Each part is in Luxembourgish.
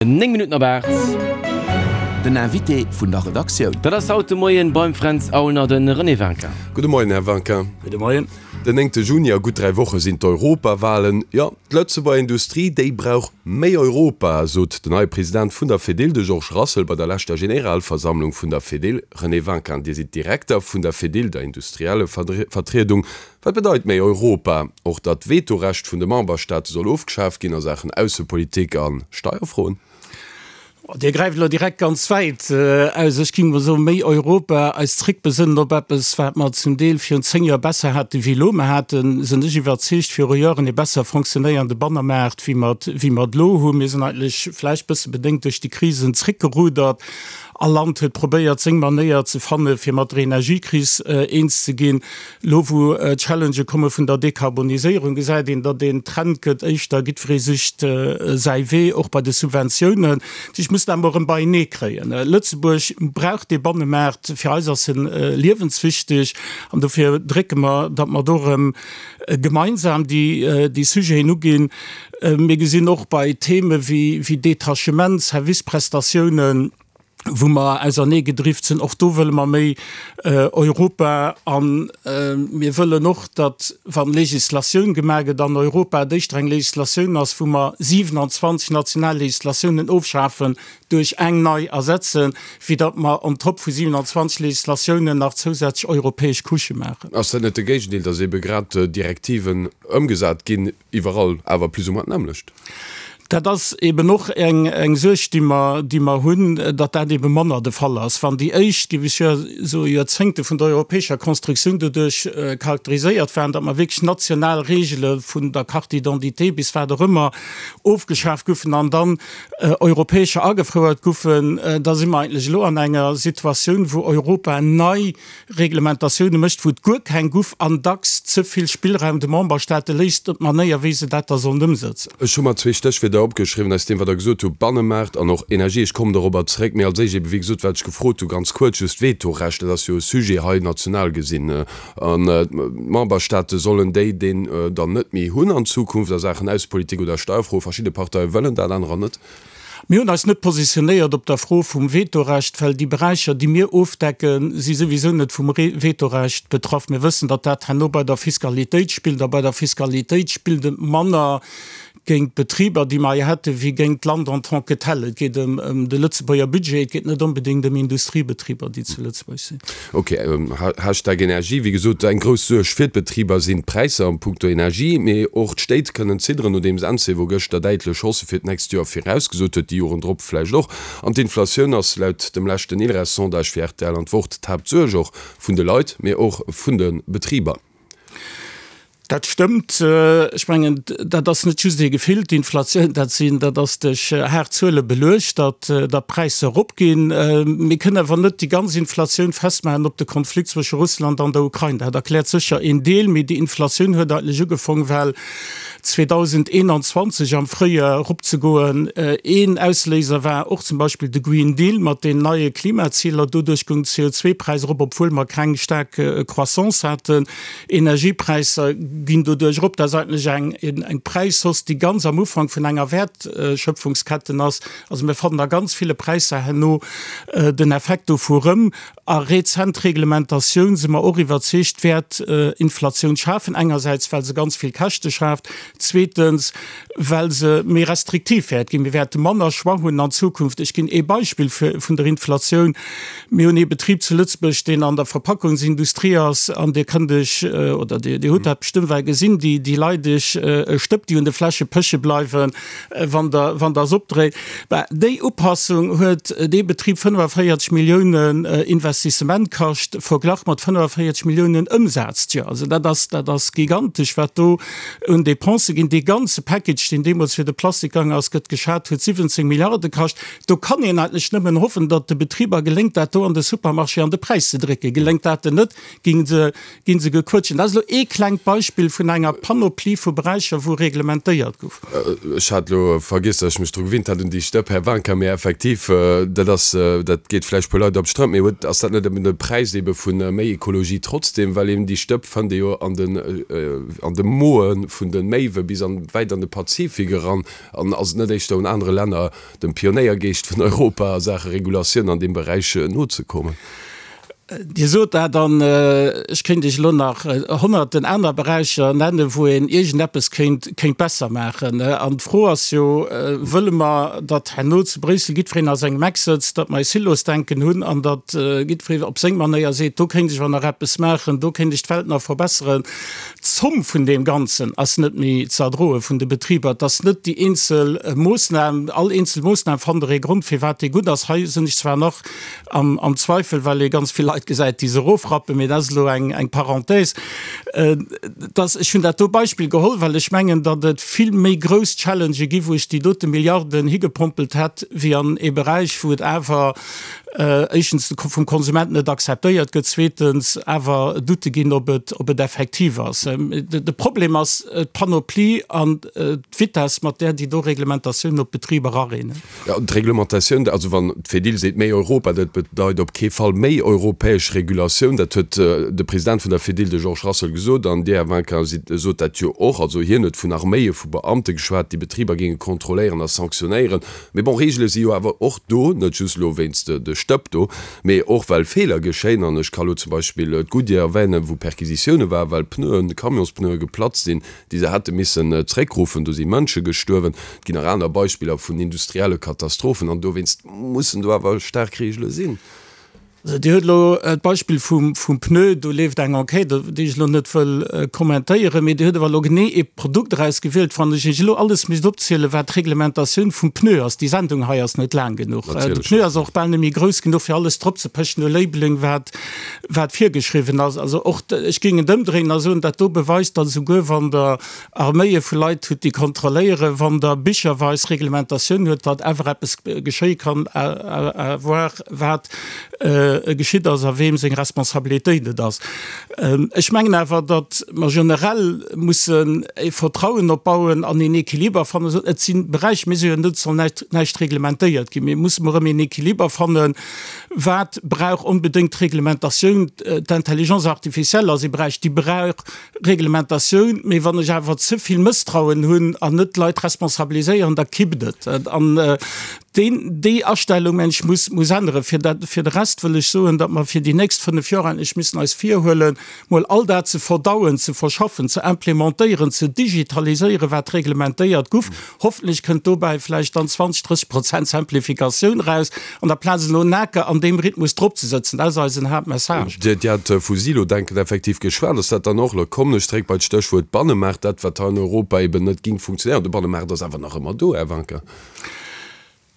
9 Minutten op 8. Den Invité vun der Redaktioun. Dat ass haut de Moien beim Fränz Aulner de René Winkin. Gudde Moien, Här Winkin. Gudde Moien. Den 9 Juni, a gutt 3 Woche sinn d'Europawalen. Jo, d'Lëtzebuerger Industrie, déi brauch méi Europa, sot den neie President vun der Fedil, de Georges Rassel, bei der leschter Generalversammlung vun der Fedil. René Winkin, Dir sidd Direkter vun der Fedil, der Industriellevertriedung. Wat bedeit méi Europa? Och datt d'Vetorecht vun de Memberstaate soll ofgeschaaft ginn a Saachen Aussepolitik a Steierfroen? Dir gräift elo direkt ganz wäit aus. Ech géing mol soen, méi Europa, eis zréckbesënnen op eppes, wat mer zum Deel virun 10 Joer besser haten wéi elo. Mer haten, sinn ech iwwerzeegt, viru Joren ee besser fonctionnéierende Bannermaart, wéi mer et, wéi mer et elo hunn. Mir sinn eigentlech, vläicht bësse bedéngt duerch déi Krisen, zréckgerudert. All Land huet probéiert, seng Manéier ze fanne fir mat der Energiekris eens ze ginn. Elo wou d'Challengë komme vun der Dekarboniséierung, gesäit een, datt een Trend gëtt, éischter jiddweree sicht säi Wee, och bei de Subventiounen. Ech muss dat emol erëm beienee kréien. Lëtzebuerg brauch dee Bannemaart, fir eis ass en liewenswichteg an dofir drécke mer, datt mer do erëm gemeinsam déi Sujeten uginn. Mir gesinn och bei Theme wéi Detachement, Serviceprestatiounen, wou mer auserneegedrift sinn, och do wëlle mer méi Europa. A mir wëllen och, datt, wa Législatioun gemaach gëtt an Europa, et éischter eng Législatioun ass, wou mer 27 national Législatiounen ofschafen, duerch eng nei ersetzen, wéi datt mer on top vu 27 Législatiounen nach zousätzlech europäesch Couchë maachen. Ass dat net de Géigendeel, datt eebe grad Direktiven ëmgesat ginn, Iwwerall awer plus ou moins d'nämmlecht. Dat ass eben och eng Suerg, déi mer, déi mer hunn, datt dat ebe manner de Fall ass. Wann déi éischt, géif ech jo soen, Joerzéngte vun der europäescher Constructioun doduerch charakteriséiert waren, datt mer wierklech national Regele vun der Carte d'identité bis wat och ëmmer ofgeschaaft goufen an dann europäescher agefouert goufen, da si mer eigentlech elo an enger Situatioun, wou Europa nei Reglementatioune mécht, wou et guer keng guff an dacks ze vill Spillraum de Memberstaate léisst op d'Manéier, wéi se dat da sollen ëmsëtzen. Ech hu mer zwee Stéchwierder opgeschriwwen aus deem, wat Der gesot hutt, Bannemaart an och Energie. Ech kommen dorobber zeréck. Mee als éischt ebe wéi gesot, wat ech gefrot hu, ganz kuerz just, Vetorecht, dat ass jo e Sujet hei national gesinn. An d'Memberstaate sollen déi deen dann net méi hunn an Zukunft a Saachen Aussepolitik oder Steierfroen. Verschidde Parteie wëllen dat, anerer net. Mir hunn eis net positionéiert op der Fro vum Vetorecht, well déi Beräicher, déi mir ofdecken, si souwisou net vum Vetorecht betraff. Mir wëssen, datt dat herno bei der Fiskalitéit spillt, a bei der Fiskalitéit spillt et manner géint d'Betriber, déi mer hei hätten, wéi géint d'Land en tant que tel. Et geet ëm de Lëtzebuerger Budget, et geet net onbedéngt ëm Industriebetriber, déi zu Lëtzebuerg sinn. Ok, Hashtag Energie, wéi gesot, eng grouss Suerg fir d'Betriber sinn d'Präisser am Punkto Energie, mee och d'Stéit kënnen zidderen, nodeems Encevo gëschter däitlech Haussë fir d'nächst Joer virausgesot huet, déi Joren drop vläicht och. An d'Inflatioun ass laut dem leschten ILReS-Sondage fir rtl an d'Wort d'Haaptsuerg och vun de Leit, mee och vun de Betriber. Dat stëmmt. Ech mengen, dat ass net just ee Gefill, d'Inflatioun, dat sinn, dat ass duerch haart Zuele beluecht, datt, datt d'Präisser eropginn. Mir kënnen awer net déi ganz Inflatioun festmaachen op de Konflikt zwësche Russland an der Ukrain. Dat erkläert sécher een Deel, mee déi Inflatioun huet eigentlech ugefong well 2021 am Fréijoer eropzegoen. Een Ausléiser war och zum Beispill de Green Deal mat den neie Klimaziler. Doduerch goung de CO2-Präis erop, obwuel mer keng staark Croissance haten. Energiepräisser ginn doduerch erop. Dat ass eigentlech eng eng Präishausse, déi ganz am Ufank vun enger Wäertschöpfungsketten ass. Also mir fannen a ganz ville Präisser herno den Effekt dovu erëm. A rezent Reglementatioun, si mer och iwwerzeegt, wäert Inflatioun schafen, engersäits well se ganz vill Käschte schaaft, zweetens well se méi restriktiv wäert ginn. Mir wäerte manner Choix hunn an Zukunft. Ech ginn ee Beispill vun der Inflatioun. Mir hunn ee Betrib zu Lëtzebuerg, deen an der Verpackungsindustrie ass, an Dir kënnt Iech, oder Dir hutt dat bestëmmt well gesinn, déi, déi leideg Stëpp, déi un de Fläsche péche bleiwen, wann Der, wann Der se opdréit. Bah, déi Upassung huet dee Betrib 45 Milliounen Investissement kascht, verglach mat 45 Milliounen Ëmsaz d'Joer. Also dat ass, dat ass gigantesch, wat do un Dépensë ginn. Dee ganze Package, deen deemools fir de Plastik gaangen ass, gëtt geschat, huet 17 Milliarde kascht. Do kann een eigentlech nëmmen hoffen, datt de Betriber geléngt, dat do an de Supermarché an de Präis ze drécken. Geléngt dat den net, gi se, gi se gequëtschen. Dat ass elo ee klengt Beispill. Beispill vun enger Panoplie vu Beräicher, wou reglementéiert gouf. Ech hat elo vergiess, datt ech mech dru gewinnt hat un déi Stëpp, Här Wanka, mee effektiv, dat ass, dat geet vläicht puer Leit op d'Strëmp, mee huet, ass dat net eben de Präis ebe vu méi Ekologie trotzdem, well eben déi Stëpp fënnt ee jo an den, an de Moe vun de Méiwe bis an, wäit an de Pazifik eran. An ass et net éischter un anere Länner, dem Pionéiergeescht vun Europa a Saache Regulatioun an deem Beräich nozekommen? Dir sot dat, an ech kéint Iech elo nach honnerten aner Beräicher nennen, wou een iergendeppes kéint, kéint besser maachen. An d'Fro ass jo, Wëlle mer, datt herno zu Bréissel jiddwereen a sengem Eck sëtzt, datt mer e Silosdenken hunn an datt jiddweree op seng Manéier seet, do kéint ech awer nach eppes maachen, do kéint ech d'Welt nach verbesseren? D'Zomm vun deem Ganzen ass net méi ze erdroe vun de Betriber. Et ass net déi eenzel Moossnam, all eenzel Moossnam fannt Der ee Grond, firwat déi gutt ass. Hei sinn ech zwar nach Am Zweifel, well ee ganz vill Leit gesäit, déi se erofrappen, mee dat ass elo eng Parenthèse. Dass, ech hunn dat do Beispill geholl, well ech mengen, datt et vill méi grouss Challengë gi wou ech déi dote Milliarden higepompelt hätt, wéi an ee Beräich, wou et awer éischtens vum Konsument net akzeptéiert gëtt, zweetens awer Doutte ginn, ob et, ob et effektiv ass. De Problem ass d'Panoplie an d'Vitesse, mat där déi do Reglementatiounen op d'Betriber areenen. Jo, d'Reglementatioun, also wann d'Fedil seet méi Europa, dat bedeit op kee Fall méi europäesch Regulatioun. Dat huet de President vun der Fedil, de Georges Russel, gesot. An Dir, Här Vinquin, sidd, sot dat jo och. Also hien huet vun Arméie vu Beamte geschwat, déi Betriber géinge kontrolléieren a sanktionéieren. Mee bon, Reegele si jo awer och do, net just elo wéinst de Stëpp do, mee och well Feeler geschéien. An ech ka lo zum Beispill d'Goodyear erwänen, wou Perquisitioune waren, well Pneuen, Camionspneue geplatzt sinn, déi se hätte missen zréckruffen. Do si Mënsche gestuerwen. Et ginn nach aner Beispiller vun industrielle Katastrophen an dowéinst mussen do awer staark Reegele sinn. Also Dir hutt elo d'Beispill vum Pneu, do leeft eng Enquête, déi ech elo net wëll kommentéieren, mee Dir hutt awer elo genee ee Produkt erausgewielt. Wann ech Iech elo alles misst opzielen, wat d'Reglementatioun vum Pneu ass, déi Sendung hei ass net laang genuch. De Pneu ass och bal net méi grouss genuch, fir alles dropzepechen u Labeling, wat wat virgeschriwwen ass. Also och, ech géing et ëmdréinen a soen, dat do beweist, datt esouguer wann Der Arméie vu Leit hutt, déi kontrolléieren, wann Der bicherweis Reglementatioun huet, datt awer eppes geschéie kann, à voir wat geschitt ass a weem seng Responsabilitéit et ass. Ech mengen awer, datt mer generell mussen e Vertrauen opbauen an een Equiliber fannen. Et si Beräicher, mir si jo net, et soll näischt reglementéiert ginn, mir musse erëm een Equiliber fannen, Wat brauch onbedéngt Reglementatioun? D'Intelligence artificielle ass ee Beräich, déi brauch Reglementatioun. Mee wann ech awer ze vill Mësstrauen hunn an net d'Leit responsabiliséieren, da kippt et. An deen, déi Astellung, mengen ech, muss, muss änneren. Fir dat, fir de Rest wëll ech soen, datt mer fir déi nächst fënnf Joer endlech müssen eis virhuelen, mol all dat ze verdauen, ze verschaffen, ze implementéieren, ze digitaliséieren, wat reglementéiert guff. Hoffentlech kënnt dobäi vläicht dann 20, 30 Prozent Simplificatioun eraus, an der Plaz elo Naker an deem Rhythmus drop ze sëtzen. Dat ass eisen Haaptmessage. Dir hat vu Silo-Denken effektiv geschwat. Ass dat dann och, elo kommen ech zréck bei d'Stéchwuert Bannemaart, dat, wat hei an Europa eben net ging funktionéieren? De Bannemaart ass awer nach ëmmer do, Här Wanka.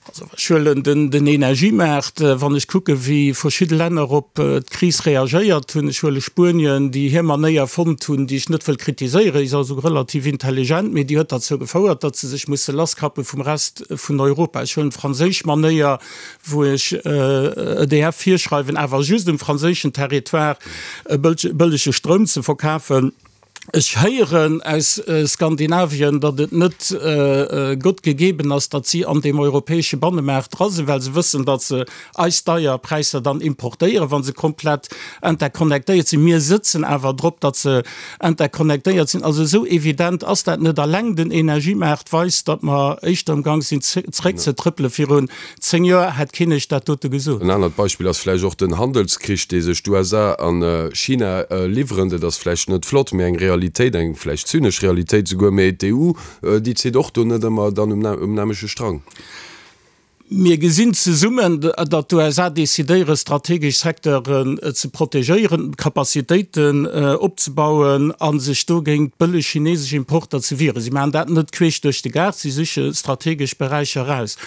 Also ech huelen den Energiemaart, wann ech kucke wéi verschidde Länner op d'Kris reagéiert hunn. Ech huele Spuenien, déi hir Manéier fonnt hunn, déi ech net wëll kritiséieren, déi ass also relativ intelligent, mee déi huet derzou gefouert, datt se sech musse lasskappe vum Rest vun Europa. Ech huelen d'franséisch Manéier, wou ech EDF virschreiwen, awer just um franséischen Territoire bëllege Stroum ze verkafen. Ech héieren aus Skandinavien, datt et net Gott gegeben ass, datt si an deem europäesche Bannemaart dra sinn, well se wëssen, datt se eis deier Präisser dann importéieren, wa se komplett interconnectéiert sinn. Mir sëtzen awer drop, datt se interconnectéiert sinn. Also esou evident ass dat net. Alleng den Energiemaart weist, datt mer éischter am Gang sinn zeréckzetrëppele. Virun 10 Joer hätt keen iech dat dote gesot. En anert Beispill ass vläicht och den Handelskrich, dee sech d'USA an China liwweren. Dat ass vläicht net flott, mee eng Realitéit, eng vläicht zynesch Realitéit souguer. Mee d'EU, déi zitt och do net ëmmer dann um nämleche Strang. Mir gesinn zesummen, datt d'USA decidéieren, strategesch Secteuren ze protegéieren, Capacitéiten opzebauen a sech do géint bëlleg chinesesch Importer ze wieren. Si maachen dat net queesch duerch de Gaart, si siche strategesch Beräicher eraus.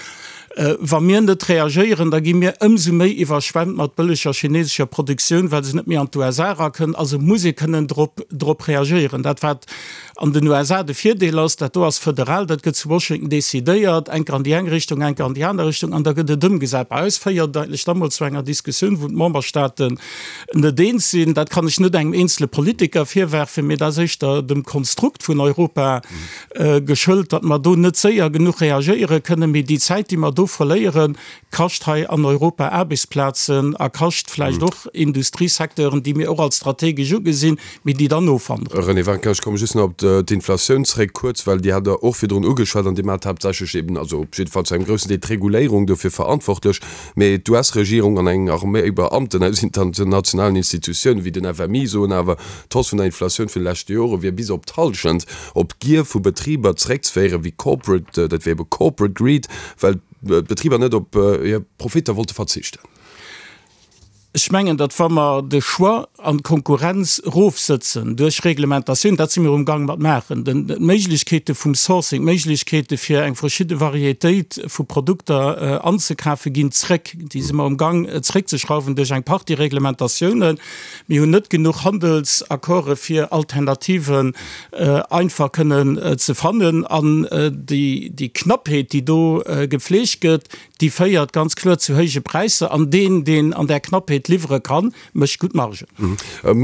Wa mir net reagéieren, da gi mir ëmsou méi iwwerschwemmt mat bëlleger chinesescher Produktioun, well se net méi an d'USA erakënnt. Also muss ee kënnen drop, drop reagéieren. Dat wat. An den USA de Virdeel ass, dat do ass federal, dat gëtt zu Washington decidéiert, eng Kéier an déi eng Richtung, eng Kéier an déi aner Richtung, an da gëtt et ëmgesat. Bei eis féiert et eigentlech da mol zu enger Diskussioun, wou d'Memberstaaten net eens sinn. Dat kann ech net engem eenzele Politiker virwerfen, mee dat ass éischter dem Konstrukt vun Europa geschëlt, datt mer do net séier genuch reagéiere kënnen. Mee déi Zäit, déi mer do verléieren, kascht hei an Europa Aarbechtsplazen a kascht vläicht och Industriesecteuren, déi mir och als strategesch ugesinn, mee déi dann ofwanderen. René Winkin, Ech komme just nach op d'Inflatioun zréck, kuerz, well Dir hat Der och virdrun ugeschwat an Dir maacht haaptsächlech eben, also op jidde Fall zu engem groussen Deel d'Reguléierung dofir verantwortlech. Mee d'US-Regierung an eng Arméi Beamten aus internationalen Institutiounen, wéi den FMI, soen awer, d'Hausse vun der Inflatioun vun de leschte Jore wier bis op d'Hallschent op d'Gier vu Betriber zeréckzeféieren, wéi corporate, dat wier ebe corporate greed, well d'Betriber net op hir Profitter wollte verzichten. Ech mengen, datt wa mer de Choix an d'Konkurrenz erofsëtzen duerch Reglementatioun, dat si mir um Gang mat maachen, d'Méiglechkeete vum Sourcing, d'Méiglechkeete fir eng verschidde Varietéit vu Produkter anzekafe ginn zréck, déi si mer um Gang zréckzeschrauwen duerch eng Partie Reglementatiounen. Mir hunn net genuch Handelsaccorde fir Alternativen einfach kënnen ze fannen. An déi Knappheet, déi do gepflegt gëtt, Déi féiert ganz kloer zu héije Präisser an deen, deen an där Knappheet liwwere kann, mécht gutt Margen.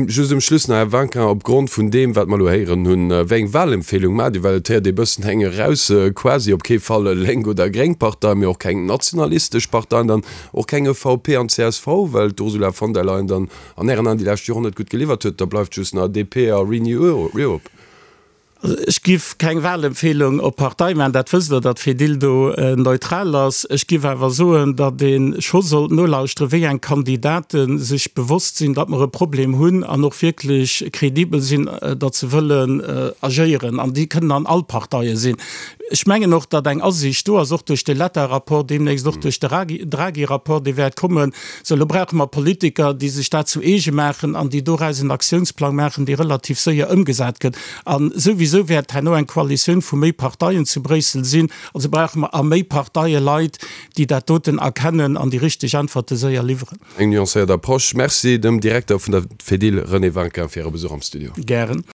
Just um Schluss nach, Här Wanka, op Grond vun deem, wat mer elo héieren hunn, wéi eng Wahlempfehlung maacht Dir? Well et héiert ee bëssen eng eraus, quasi op kee Fall lénk oder gréng Partei, mee och keng nationalistesch Partei an dann och keng EVP an csv, well d'Ursula von der Leyen dann an Ären Aen déi lescht Joren net gutt geliwwert huet. Da bleift just nach DP a Renew Europe. Ech giff keng Wahlempfehlung op Partei maachen, dat wësst Der, datt Fedil do neutral ass. Ech giff awer soen, datt ee scho sollt nolauschteren, wéi eng Kandidate sech bewosst sinn, datt mer e Problem hunn an och wierklech kredibel sinn, datt se wëllen agéieren. An déi kënnen an all Parteie sinn. Ech mengen och, datt eng Asiicht do ass, och duerch de Letta-Rapport, deemnächst och duerch de Draghi-Rapport, dee wäert kommen. Sou, elo brauche mer Politiker, déi sech dat zu eege maachen an déi doraus en Aktiounsplang maachen, dee relativ séier ëmgesat gëtt. A souwisou wäert herno eng Koalitioun vu méi Parteien zu Bréissel sinn. Also brauche mer a méi Parteie Leit, déi dat doten erkennen an déi richteg Äntwerte séier liwweren. Eng nuancéiert Approche. Merci dem Direkter vun der Fedil, René Winkin, fir Äre Besuch am Studio. Gären.